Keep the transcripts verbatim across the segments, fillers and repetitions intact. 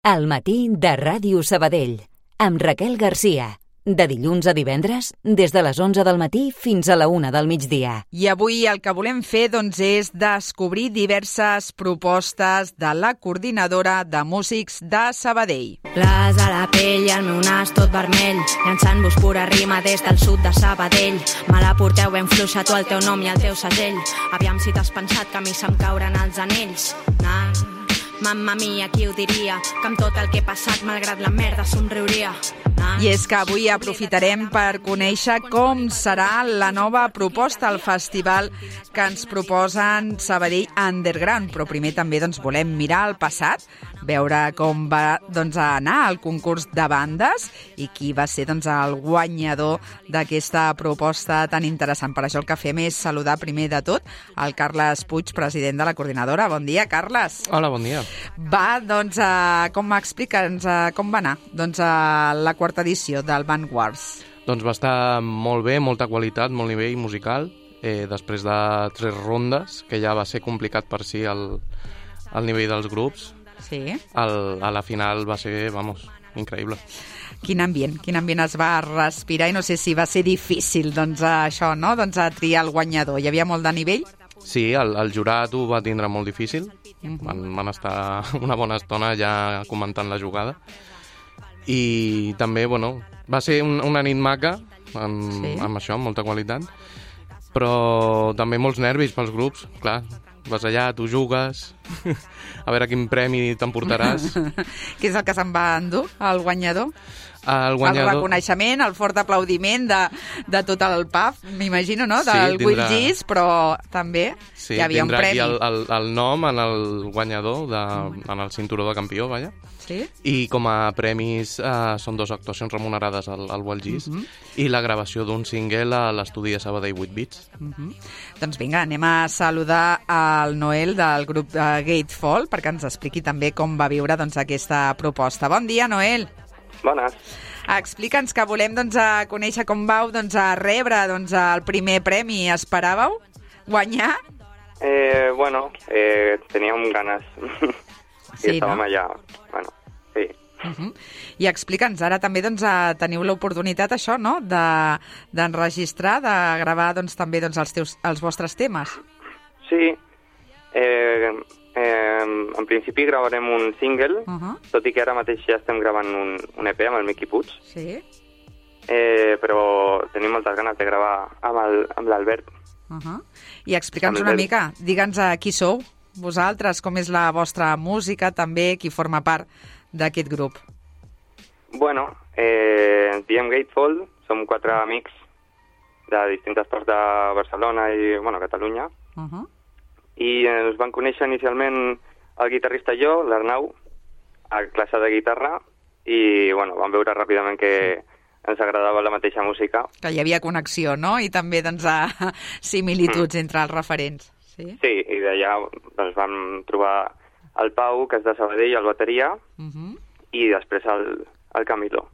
Al matí de Ràdio Sabadell, amb Raquel Garcia. De dilluns a divendres, des de les onze del matí fins a la una del migdia. I avui el que volem fer doncs, és descobrir diverses propostes de la coordinadora de músics de Sabadell. Glas a la pell i el meu nas tot vermell, llançant-vos pura rima des del sud de Sabadell. Me la porteu ben fluixa, tu el teu nom i el teu segell. Aviam si t'has pensat que a mi se'm cauren els anells. Nah. Mamma mia, qui ho diria, que amb tot el que he passat, malgrat la merda, somriuria. Ah. I és que avui aprofitarem per conèixer com serà la nova proposta al festival que ens proposen Sabadell Underground. Però primer també doncs, volem mirar al passat, veure com va doncs, anar el concurs de bandes i qui va ser doncs, el guanyador d'aquesta proposta tan interessant. Per això el que fem és saludar primer de tot el Carles Puig, president de la coordinadora. Bon dia, Carles. Hola, bon dia. Va, doncs, uh, com m'explica'ns uh, com va anar doncs, uh, la quarta edició del Vanguards? Doncs va estar molt bé, molta qualitat, molt nivell musical. Eh, després de tres rondes, que ja va ser complicat per si el, el nivell dels grups, sí. el, a la final va ser, vamos, increïble. Quin ambient, quin ambient es va respirar i no sé si va ser difícil doncs, això, no? Doncs, a triar el guanyador. Hi havia molt de nivell? Sí, el, el jurat ho va tindre molt difícil. Uh-huh. Van, van estar una bona estona ja comentant la jugada. I també, bueno, va ser un, una nit maca, amb, sí. amb això, amb molta qualitat, però també molts nervis pels grups, clar. Vas allà, tu jugues, a veure quin premi t'emportaràs. Què és el que se'n va endur, el guanyador? El guanyador... El reconeixement, el fort aplaudiment de, de tot el pub, m'imagino, no? Del sí, tindrà... Will Gis, però també sí, hi havia un premi. Sí, tindrà aquí el, el, el nom en el guanyador, de, en el cinturó de campió, vaja. Sí? I com a premis eh, són dues actuacions remunerades al, al Will Gis uh-huh. i la gravació d'un single a l'estudi de Sabadell vuit bits. Uh-huh. Doncs vinga, anem a saludar al Noel del grup de Gatefall perquè ens expliqui també com va viure doncs, aquesta proposta. Bon dia, Noel. Bones. Explica'ns que volem doncs, a conèixer com vau doncs, a rebre doncs, el primer premi. Esperàveu guanyar? Eh, bueno, eh, teníem ganes. Sí, I estàvem no? allà. Bueno, sí. Uh-huh. I explica'ns, ara també doncs, teniu l'oportunitat això, no? De, d'enregistrar, de gravar doncs, també doncs, els, teus, els vostres temes. Sí. Eh, eh, en principi gravarem un single, uh-huh. tot i que ara mateix ja estem gravant un, un E P amb el Miqui Puig. Sí. Eh, però tenim moltes ganes de gravar amb, el, amb l'Albert. Uh-huh. I explica'ns una mica, digue'ns a qui sou, vosaltres, com és la vostra música, també, qui forma part d'aquest grup. Bueno, eh, ens diem Gatefall, som quatre amics de distintes parts de Barcelona i, bueno, Catalunya. Uh-huh. I ens van conèixer inicialment el guitarrista i jo, l'Arnau, a classe de guitarra, i bueno, vam veure ràpidament que ens agradava la mateixa música. Que hi havia connexió, no? I també doncs, a similituds mm. entre els referents. Sí, sí i d'allà doncs, vam trobar el Pau, que és de Sabadell, el bateria, uh-huh. i després el, el Camilo,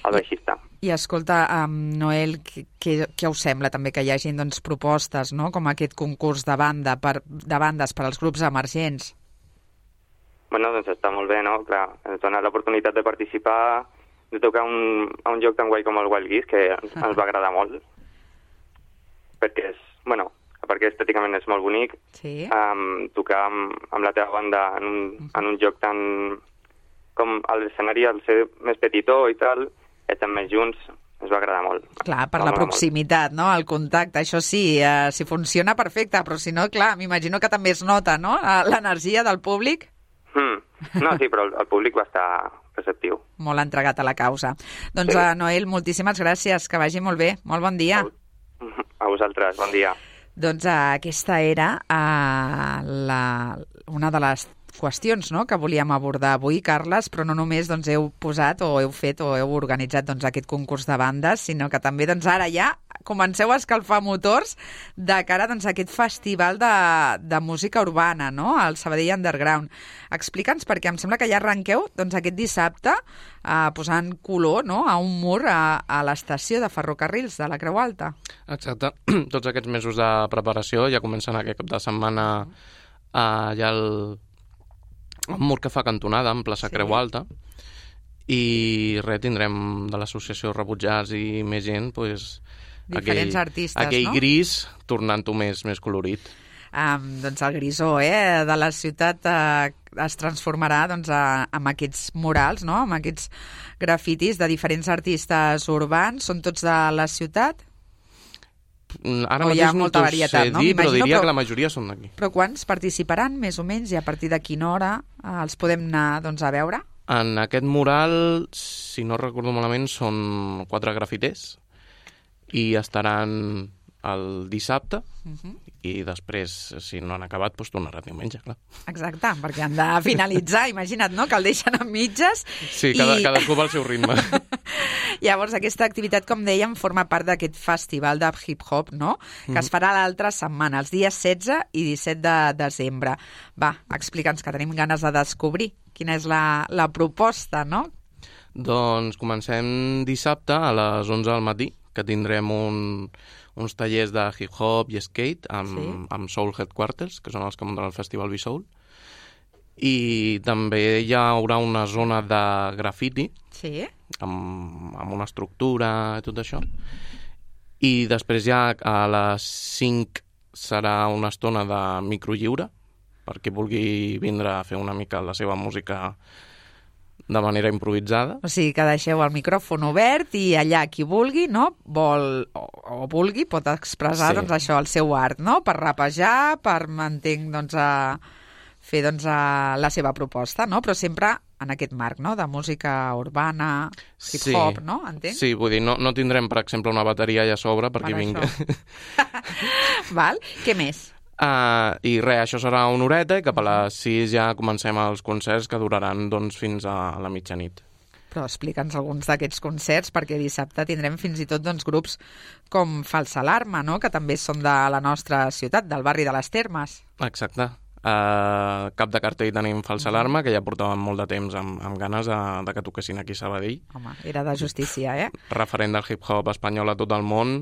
el baixista. I escolta, um, Noel, què, què us sembla també que hi hagi doncs, propostes, no? Com aquest concurs de, banda per, de bandes per als grups emergents? Bueno, doncs està molt bé, no? Clar, ens dona l'oportunitat de participar, de tocar un, a un joc tan guai com el Wild Geese, que ens, ah. ens va agradar molt, perquè és, bueno, perquè estèticament és molt bonic, sí. um, tocar amb, amb la teva banda en un, uh-huh. en un joc tan... com l'escenari al ser més petitó i tal, estem més junts, ens va agradar molt. Clar, per la proximitat, molt. No? El contacte, això sí, eh, si funciona perfecte, però si no, clar, m'imagino que també es nota, no?, l'energia del públic. Mm. No, sí, però el, el públic va estar receptiu. Molt entregat a la causa. Doncs, sí. uh, Noel, moltíssimes gràcies, que vagi molt bé. Molt bon dia. A vosaltres, bon dia. Doncs uh, aquesta era uh, la, una de les qüestions, no?, que volíem abordar avui, Carles, però no només doncs, heu posat o heu fet o heu organitzat doncs, aquest concurs de bandes, sinó que també doncs, ara ja comenceu a escalfar motors de cara doncs, a aquest festival de, de música urbana, no?, al Sabadell Underground. Explica'ns, perquè em sembla que ja arrenqueu doncs, aquest dissabte eh, posant color, no?, a un mur a, a l'estació de ferrocarrils de la Creu Alta. Exacte. Tots aquests mesos de preparació ja comencen aquest cap de setmana eh, ja el un mur que fa cantonada en plaça Sí. Creu Alta, i res, tindrem de l'associació Rebutjats i més gent, pues, Diferents aquell, artistes, aquell no? gris tornant-ho més, més colorit. Um, doncs el grisó eh, de la ciutat eh, es transformarà doncs, a, amb aquests murals, no? Amb aquests grafitis de diferents artistes urbans. Són tots de la ciutat? Ara O hi ha mateix no molta t'ho varietat, sé no? dir, però M'imagino, diria però- que la majoria són d'aquí. Però quants participaran, més o menys, i a partir de quina hora eh, els podem anar doncs, a veure? En aquest mural, si no recordo malament, són quatre grafiters i estaran el dissabte Uh-huh. i després, si no han acabat, doncs tornarà diumenge, clar. Exacte, perquè han de finalitzar, imagina't, no?, que el deixen a mitges. Sí, cada, i... cadascú va al seu ritme. Llavors, aquesta activitat, com dèiem, forma part d'aquest festival de hip-hop, no?, que es farà l'altra setmana, els dies setze i disset de desembre. Va, explica'ns, que tenim ganes de descobrir quina és la, la proposta, no? Doncs comencem dissabte a les onze del matí, que tindrem un, uns tallers de hip-hop i skate amb, Sí. amb Soul Headquarters, que són els que munten el Festival B-Soul. I també hi haurà una zona de graffiti, Sí. amb, amb una estructura i tot això. I després ja a les cinc serà una estona de microlliure, per qui vulgui vindre a fer una mica la seva música de manera improvisada. O sigui, que deixeu el micròfon obert i allà qui vulgui, no?, vol o, o vulgui, pot expressar, Sí. doncs, això, el seu art, no?, per rapejar, per, m'entenc, doncs, a fer, doncs, a la seva proposta, no?, però sempre en aquest marc, no?, de música urbana, hip-hop, Sí. no?, entenc? Sí, vull dir, no, no tindrem, per exemple, una bateria allà a sobre perquè Per vingui... això. Val? Què més? Uh, I res, això serà una horeta i cap a les sis ja comencem els concerts que duraran doncs, fins a la mitjanit. Però explica'ns alguns d'aquests concerts, perquè dissabte tindrem fins i tot doncs, grups com Falsa Alarma, no?, que també són de la nostra ciutat, del barri de les Termes. Exacte. Uh, cap de cartell tenim Falsa Alarma, que ja portàvem molt de temps amb, amb ganes de, de que toquessin aquí a Sabadell. Home, era de justícia, eh? Referent del hip-hop espanyol a tot el món,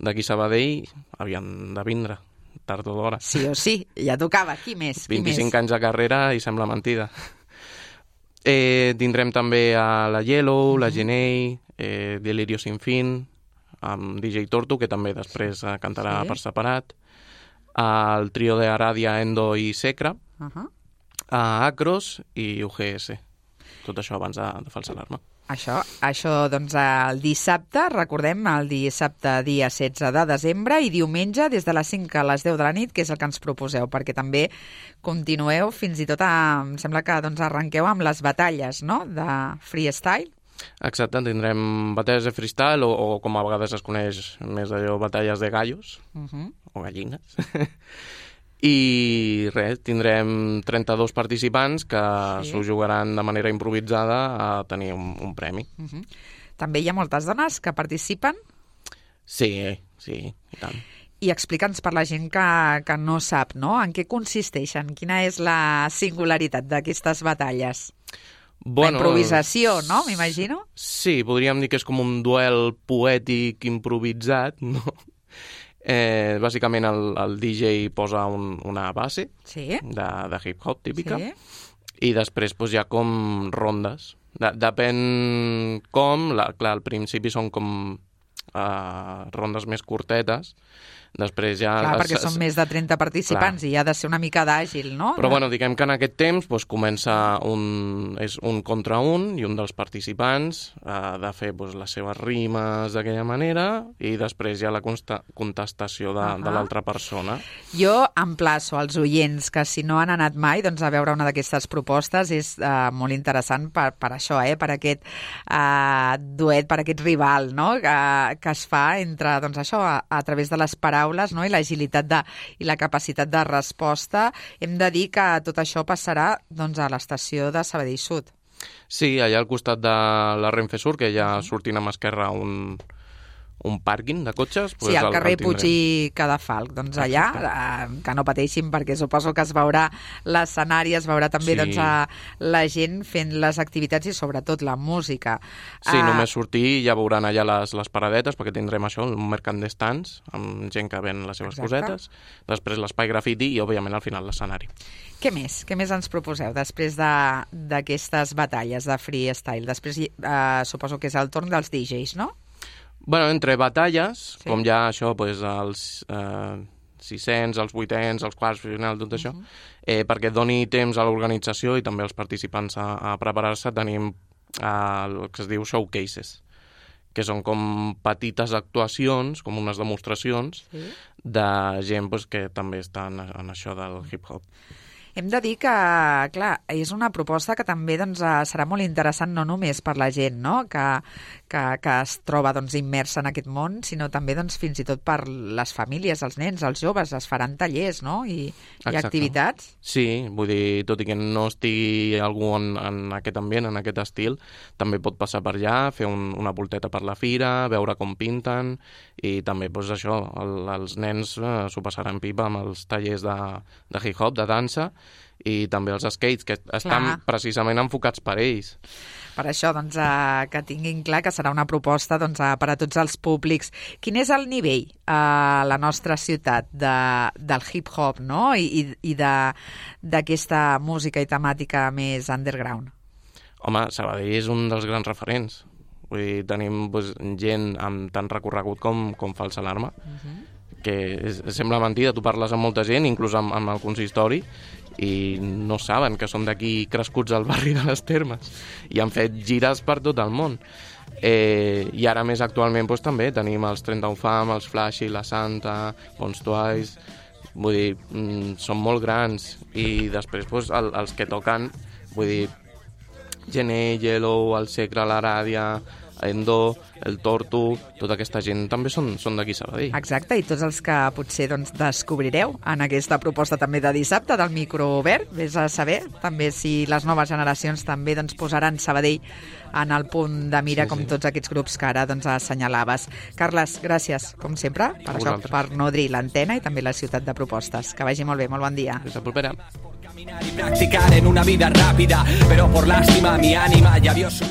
d'aquí a Sabadell havien de vindre, tard o d'hora. Sí o sí, ja tocava. Qui més? Qui vint-i-cinc més? anys de carrera i sembla mentida. Eh, tindrem també a la Yellow, la Genei, eh, Delirio Sin Fin, amb D J Tortu, que també després eh, cantarà Sí. per separat, el trio de Aradia, Endo i Secra, Uh -huh. a Acros i U G S. Tot això abans de, de Falsa Alarma. Això, això, doncs, el dissabte, recordem, el dissabte dia setze de desembre, i diumenge des de les cinc a les deu de la nit, que és el que ens proposeu, perquè també continueu fins i tot, a, em sembla que doncs, arrenqueu amb les batalles, no?, de freestyle. Exacte, tindrem batalles de freestyle o, o com a vegades es coneix més allò, batalles de gallos Uh -huh. o gallines. I res, tindrem trenta-dos participants que Sí. s'ho jugaran de manera improvisada a tenir un, un premi. Uh -huh. També hi ha moltes dones que participen. Sí, sí, i tant. I explica'ns per la gent que, que no sap, no?, en què consisteixen, quina és la singularitat d'aquestes batalles. Bueno, La improvisació, no?, m'imagino. Sí, podríem dir que és com un duel poètic improvisat, no? Eh, bàsicament el, el D J posa un, una base Sí. de, de hip-hop típica Sí. i després doncs, hi ha com rondes. De, depèn com, la, clar, al principi són com uh, rondes més curtetes, després ja... Clar, perquè es- són més de trenta participants Clar. i ha de ser una mica d'àgil, no? Però bueno, diguem que en aquest temps doncs, comença un, és un contra un i un dels participants ha de fer doncs, les seves rimes d'aquella manera i després hi ha la consta, contestació de, Ahà. de l'altra persona. Jo emplaço als oients que si no han anat mai doncs, a veure una d'aquestes propostes, és uh, molt interessant per, per això, eh? Per aquest uh, duet, per aquest rival, no?, que, que es fa entre, doncs això, a, a través de les paraules, no?, i l'agilitat de, i la capacitat de resposta. Hem de dir que tot això passarà doncs, a l'estació de Sabadell Sud. Sí, allà al costat de la Renfe Sur, que ja sortint a mà esquerra un, un pàrquing de cotxes... Sí, al carrer Puig i Cadafalc. Doncs allà, eh, que no pateixin, perquè suposo que es veurà l'escenari, es veurà també sí. doncs, a la gent fent les activitats i sobretot la música. Sí, uh... només sortir ja veuran allà les, les paradetes, perquè tindrem això, un mercat d'estants, amb gent que ven les seves Exacte. cosetes, després l'espai grafiti i, òbviament, al final l'escenari. Què més? Què més ens proposeu després d'aquestes batalles de freestyle? Després eh, suposo que és el torn dels D Js, no? Bueno, entre batalles, sí. com ja això, pues, els eh, sis-cents, els vuitens, els quarts, final, tot això, uh-huh. eh, perquè doni temps a l'organització i també als participants a, a preparar-se, tenim eh, el que es diu showcases, que són com petites actuacions, com unes demostracions sí. de gent pues, que també està en, en això del hip-hop. Hem de dir que, clar, és una proposta que també doncs, serà molt interessant no només per la gent no? que, que, que es troba doncs, immersa en aquest món, sinó també doncs, fins i tot per les famílies, els nens, els joves, es faran tallers no? I, i activitats. Sí, vull dir, tot i que no estigui algú en, en aquest ambient, en aquest estil, també pot passar per allà, fer un, una volteta per la fira, veure com pinten, i també doncs, això, el, els nens eh, s'ho passaran pipa amb els tallers de, de hip-hop, de dansa, i també els skates, que estan clar. precisament enfocats per ells. Per això, doncs, eh, que tinguin clar que serà una proposta doncs, eh, per a tots els públics. Quin és el nivell a la nostra ciutat de, del hip-hop no? I, i d'aquesta música i temàtica més underground? Home, Sabadell és un dels grans referents. Vull dir, tenim doncs, gent amb tant recorregut com, com falsa alarma, uh-huh. que és, sembla mentida, tu parles amb molta gent, inclús amb, amb el consistori, i no saben que som d'aquí crescuts al barri de les Termes i han fet gires per tot el món. Eh, I ara més actualment doncs, també tenim els trenta-un Fam, els Flashy, la Santa, Bons Twice, vull dir, mm, són molt grans, i després doncs, el, els que toquen, vull dir, Gené, Yellow, el Secre, la Ràdia, Endo, el Tortu, tota aquesta gent també són, són d'aquí Sabadell. Exacte, i tots els que potser doncs, descobrireu en aquesta proposta també de dissabte del Micro Obert, vés a saber també si les noves generacions també doncs, posaran Sabadell en el punt de mira sí, com sí. tots aquests grups que ara doncs, assenyalaves. Carles, gràcies, com sempre, per, això, per nodrir l'antena i també la ciutat de propostes. Que vagi molt bé, molt bon dia. Fins la propera. Y practicar en una vida rápida, pero por lástima mi ánima ya vio su